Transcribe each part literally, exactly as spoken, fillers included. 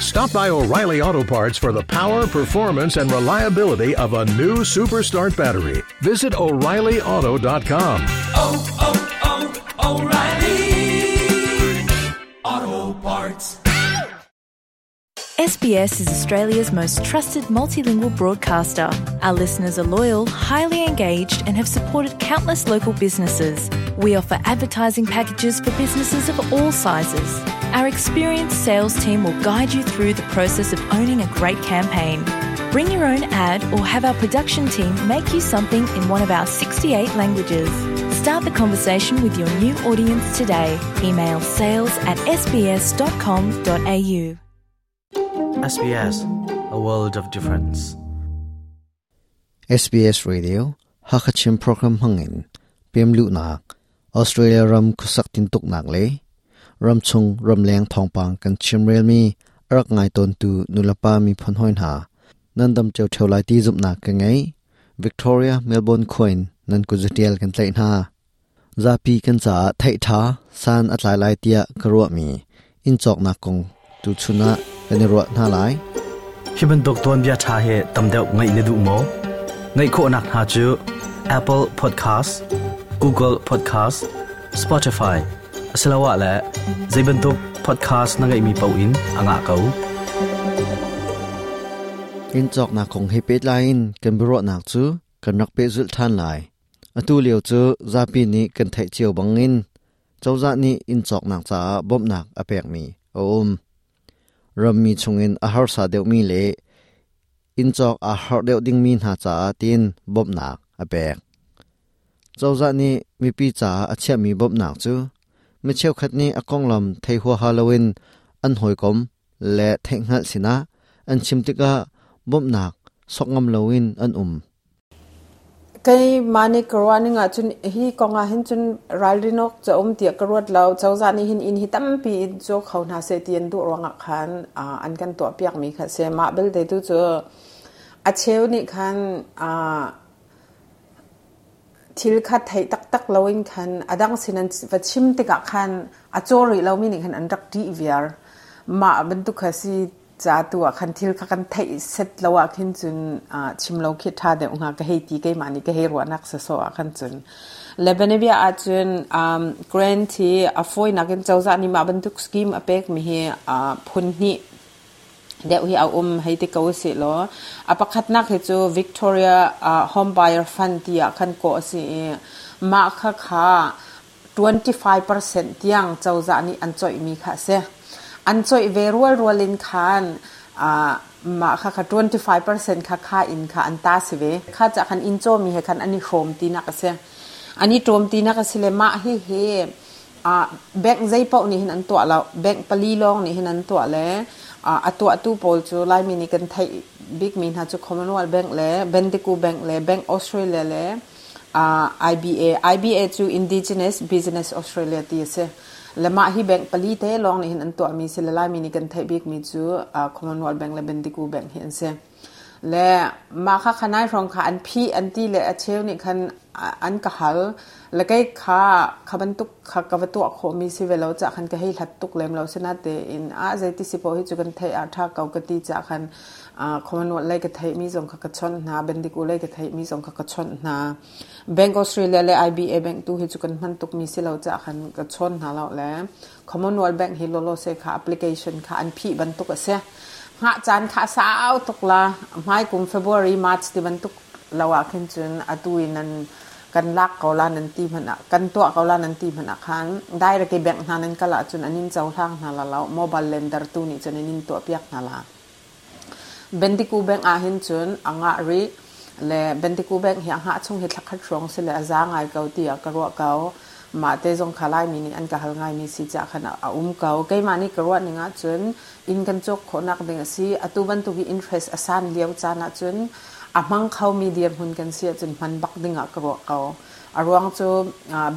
Stop by O'Reilly Auto Parts for the power, performance, and reliability of a new Superstart battery. Visit O'Reilly Auto dot com. oh, oh, O'Reilly Auto Parts. S B S is Australia's most trusted multilingual broadcaster. Our listeners are loyal, highly engaged and have supported countless local businesses. We offer advertising packages for businesses of all sizes. Our experienced sales team will guide you through the process of owning a great campaign. Bring your own ad or have our production team make you something in one of our sixty-eight languages. Start the conversation with your new audience today. Email sales at s b s dot com dot a u. S B S, a world of difference. S B S Radio, Hakachin program hangin, P M Lu Nak, Australia ram khusak tin tuk nak le, ram chung ram leng thong pang kan chimrel mi, arak ngai ton tu nulapa mi phon hoin ha, nandam cheu cheu lai ti zup nak ka ngai, Victoria Melbourne coin nan ku zatial kan tlai na. Zapi kan cha thai tha san atlai lai tia karwa mi, in chok nak kong tu chuna kan ruat na lai. Hiban dokton bia tha he tamdeu ngai ne du mo. Ngai kho nak ha chu Apple Podcast, Google Podcast, Spotify. Asalawa la zaibantuk podcast na ngai mi pau in anga kau. In chok na kong he pet lain kan bro nak chu kan rak pe zul than lai. Atu liu chu zapi ni kan thai chiu bangin. Chawza ni in chok nak cha bom nak apek mi. Om Rammi chungin a har sa deuh mi le in chok a har deuh ding mi hna cha tin bom nak apek. Chawza ni mi pi cha a chia mi bom nak chu mi cheu khat ni a kong lam thei hua Halloween an hoi kom le thei ngal sina an chimtika bom nak sok ngam loin an um. Kai mani karwani nga chun hi konga hin chun ralrinok cha um tia karwat law chawza ni hin in hi tampi in cho khau na se tian du ronga khan an kan to piak mi kha se ma bel de tu chu a cheu ni khan a thil kha thai tak tak loin khan adang sinan va chim te ka khan a chori lo mi ni khan an rak ti viar ma ban tu kha si cha tu a khan thil kha kan thai set lawa khin chun a chim lo khi tha de unga ka hei ti ke mani ka hei ro nak sa so a khan chun lebanevia a chun um grant hi a foi nakin chawza ni ma ban tuk scheme a pek mi hi a phun ni de hi a um hei te ko se lo a pakhat nak he chu Victoria Home Buyer Fund ti a khan ko si ma kha kha twenty-five percent tiang chawza ni an choi mi kha se an choi ve rual rualin khan a ma kha kha twenty-five percent kha kha in kha an ta si ve kha cha khan in cho mi he khan ani hrom ti na ka se ani tom ti na ka sile ma hi he a bank zai pau ni hin an to la bank pali long ni hin an to le a ato atu pol chu lai mi ni kan thai big min ha chu Commonwealth Bank le Bendigo Bank le Bank Australia le a I B A I B A chu Indigenous Business Australia ti se le ma hi bank pali te long ni hin an to mi se le lai mi ni kan thai big mi chu Commonwealth Bank le Bendigo Bank hi an se le ma kha khanai rong kha an phi an ti le a cheu ni khan an ka hal le kai kha khaban tuk kha ka wa to kho mi si velo cha khan ka hei hlat tuk lem lo sena te in a zai ti si po hi chu kan thai a tha kau ka ti cha khan a Commonwealth lai ka thai mi zong kha ka chon na Bendigo lai ka thai mi zong kha ka chon na Bank Australia le I B A Bank tu hi chu kan man tuk mi si lo cha khan ka chon na lo le Commonwealth Bank hi lo lo se kha application kha an phi ban tuk ase nga chan kha sao tuk la mai kum February March ti ban tuk lawa khin chun atuin an kan lak ko la nan ti man kan to ko la nan ti man khan direct ke bank na nan kala chun anin chaw thang na la la mobile lender tu ni chun anin to piak na la Bendigo Bank a hin chun anga ri le Bendigo Bank hi anga chung hi thlakhat rong se le aza ngai kau ti a karwa kau ma te jong khalai mi ni an ka hal ngai mi si cha khana a um kau ke ma ni karwa ni nga chun in kan chok khonak ding si atu ban tu ki interest asan liau cha na chun a mang khau mi dir hun kan sia chun man bak dinga karwa kau arwang chu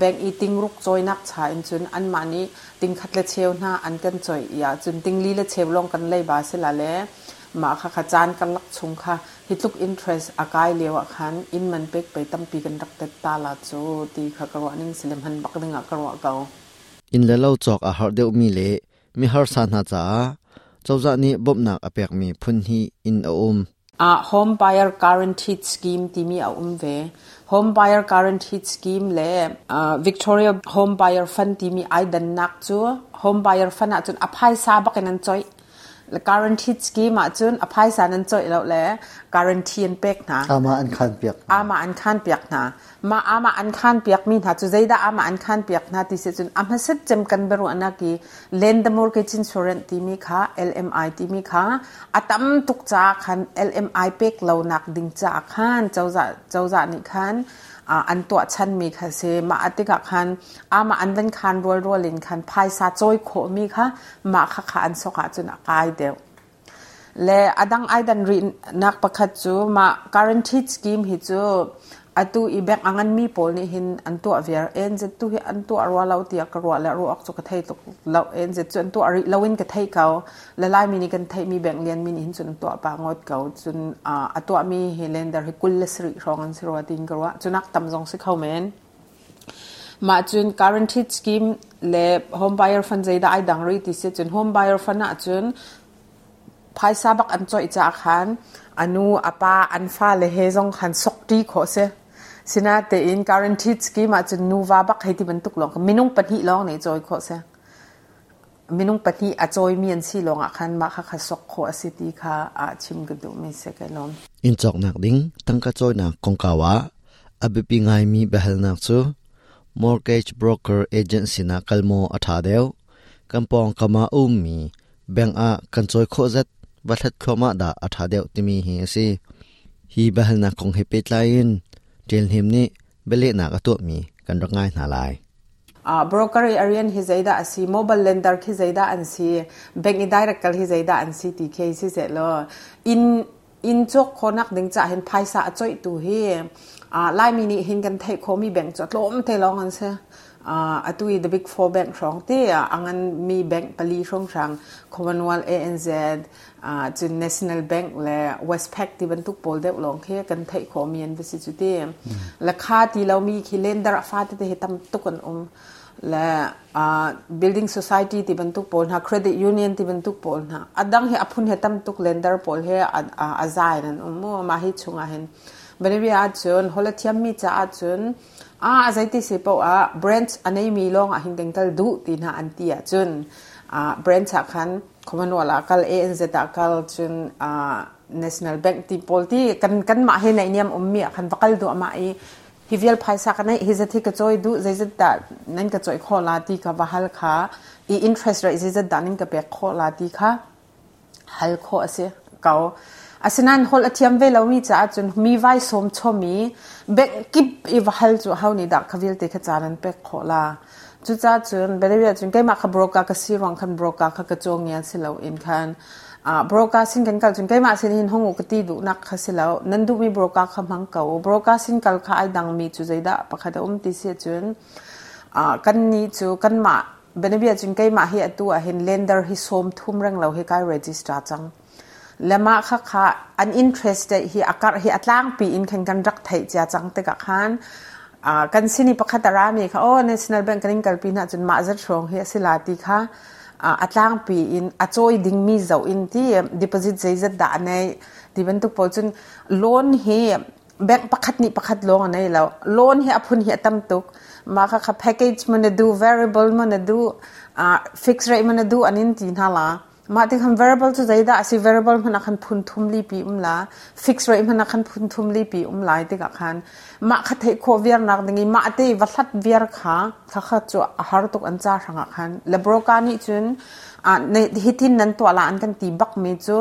bank i ting ruk choi nak cha in chun an ma ni ting khat le cheu na an kan choi ya chun ting li le cheu long kan lei ba se la le ma kha kha chan kan lak chung kha hitluk interest akai lewa khan in man pek pe tampi kan rak tet ta la chu ti kha karwa ning silem han bak dinga karwa kau in le lo chok a har deuh mi le mi har sa na cha Cozah nih bawmhnak a pekmi phun hnih in a um. Uh, home buyer guaranteed scheme timi a um ve. Home buyer guaranteed scheme le uh, Victoria Home Buyer Fund timi ai dannak cu home buyer fund ah cun a phaisa bakin an choi. Le guaranteed scheme ah cun a phaisa nan choi lo le guarantee an pek hna. Ama an khan piak. Ama an khan piak hna. Ma ama an khan piak mi hna cu zeida ama an khan piak hna ti se cun a hmaset cem kan beru anaki lend the mortgage insurance timi kha L M I timi kha atam tuk cha khan L M I pek lo nak ding cha khan chawza chawza ni khan an tua chan mi kha se. Ma atika khan ama an van khan rol rolin khan phaisa choi kho mi kha ma kha kha an soka chun akai deu. Le adang aidan ri nak pakhat chu ma guaranteed scheme hi chu atu i bank angan mi pol ni hin an tu aviar N Z tu hi an tu arwa lo tia ka ro la ro ak chu ka thei tuk lo. N Z chu an tu ari lowin ka thei kau la lai mi ni kan thei mi bank lian mi ni hin chun tu pa ngot kau chun atu mi hi lender hi kul le sri rong an siro tin ka ro chunak tam jong si khau men. Ma chun guaranteed scheme le home buyer fund zaida ai dang ri ti se chun home buyer fund a chun phaisa bak an choi cha khan anu apa an fa le he jong khan sok ti kho se. Sina te in guaranteed scheme a chun nuwa bak hei ti ban tuk long minung pahnih long nei choi kho se, minung pahnih a choi mi an si long a khan ma kha kha sok kho asiti kha a chim ga du mi se ka lom. In chok nak ding tangka choi na kongkawa abipi ngai mi bahal nak chu mortgage broker agency na kalmo atha deu kampong kama um mi bank a kan choi kho zat wathat khoma da atha deu timi hi si. Hi bahal na kong he pe tlain tel him ni bele na ka to mi kan rak ngai na lai. Uh, broker arian hi zaida asi, mobile lender khi zaida an si, bank i direct kal hi zaida an si ti khe si se lo in in chok khonak ding cha hen phaisa a choi tu hi a lai mi ni hin kan thei kho mi bank cho tlom te long an se uh, atui the big four bank rong te angan mi bank pali rong rang Commonwealth, A N Z, uh, chun National Bank le Westpac ti ban tuk pol deuh long khe kan thei kho mi an visi chu te la kha ti lo mi khi lender fa te te tam tuk an um le uh, building society ti ban tuk pol na, credit union ti ban tuk pol na, adang he aphun he tam tuk lender pol he a zai nan um mo. Ma hi chunga hen banabia chun hola thiam mi cha chun a zaiti se po a branch anei mi long a hin kal du ti na an ti a chun a branch a khan Commonwealth kal, A N Z kal, chun a National Bank ti pol ti kan kan ma he nei niam um mi khan vakal du ma i hi vial phaisa ka nei hi zati ka choi du zai zat da nan ka choi kho la ti ka wahal kha i interest rate zai zat da nin ka pe kho la ti kha hal kho ase kau. Asinan hol athiam ve lo mi cha chun mi vai som chomi bank kip i wahal chu how ni da khavil te kha chanan pe kho la chu cha chun bele chun kai ma kha broker ka si rong khan broker kha ka chong yan si lo in khan a broker sin kan kal chun kai ma sin hin hongu ka ti du nak kha si lo nan du mi broker kha mang kau broker sin kal kha ai dang mi chu zaida pakhat um ti se chun a kan ni chu kan ma benebia chun kai ma hi atu a hin lender hi som thum rang lo hi kai register chang lama kha kha an interest hi akar hi atlang pi in khan kan rak thai cha chang te ka khan a kan sini pakhat ara mi kha o National Bank kanin kalpi na chun ma zat rong hi asila ti kha atlang pi in achoi ding mi zo in ti deposit zai zat da nei ti ban tu po chun loan hi bank pakhat ni pakhat long nei lo loan hi aphun hi atam tuk ma kha kha package man du, variable man du, fixed rate man du anin ti na la. Ma ti khan variable chu zaida asi, variable mana khan phun thum li pi um la, fixed rate mana khan phun thum li pi um lai ti ka khan ma kha thei kho viar nak dingi ma te wa hlat viar kha kha kha chu har tuk an cha ranga khan le broker ni chun a ne hitin nan to la an kan ti bak mi chu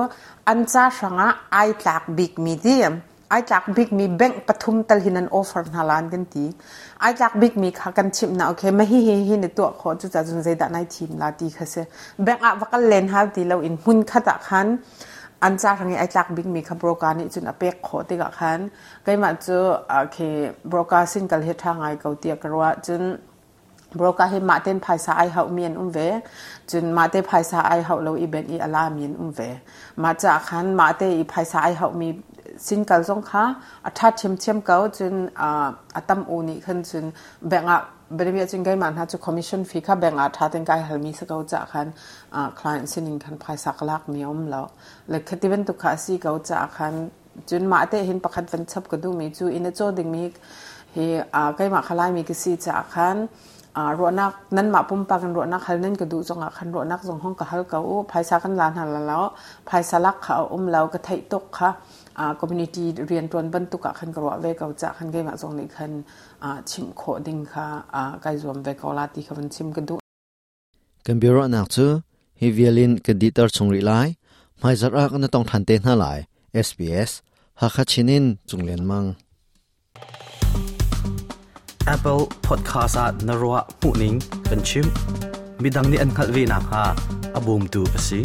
an cha ranga ai tlak big mi ti ai tlak big mi bank pathum tal hinan offer na lan kan ti ai tlak big mi kha kan chim na okay ma hi hi hi ne to kho chu cha chun zaida nai thim la ti kha se bank a wakal len ha ti lo in hun khata khan an cha rangi ai tlak big mi kha broker ni chun apek kho ti ka khan kai ma chu okay broker sin kal he tha ngai kau tia karwa chun broker hi ma ten phaisa ai hau mian um ve chun ma te phaisa ai hau lo i bank i ala mian um ve ma cha khan ma te i phaisa ai hau mi sin kal zong kha a tha thiam thiam kau chun a atam u ni khan chun bank a Bianabia cun keimah hna cu commission fee kha bank ah ṭha tein kai halmi si ko caah khan client sinin khan phaisa ka lakmi a um lo. Le khati bantuk kha a si ko caah khan cun mah te hin pakhat van chap ka duhmi cu inn a caw dingmi hi keimah kha Laimi ka si caah khan ruahnak nanmah pumpak in ruahnak hal nan ka duh zongah khan ruahnak zong hong ka hal ko u. Phaisa kan la hna lo, phaisa lak kha a um lo, ka theih tuk kha community rianṭuan bantuk ah khan ka ruah ve ko caah khan keimah zong nih khan chimh khawh ding kha kai zuam ve ko la ti kha van chim ka duh. Kan biaruahnak cu hi vialin kan dihter chung rih lai. Hmaizarh ah kan tong ṭhan te hna lai. S B S Hakha Chin in Cung Lian Mang. Apple Podcast ah na ruah hmuhning kan chim. Midang nih an hngalh ve nakhnga a bawmtu a si.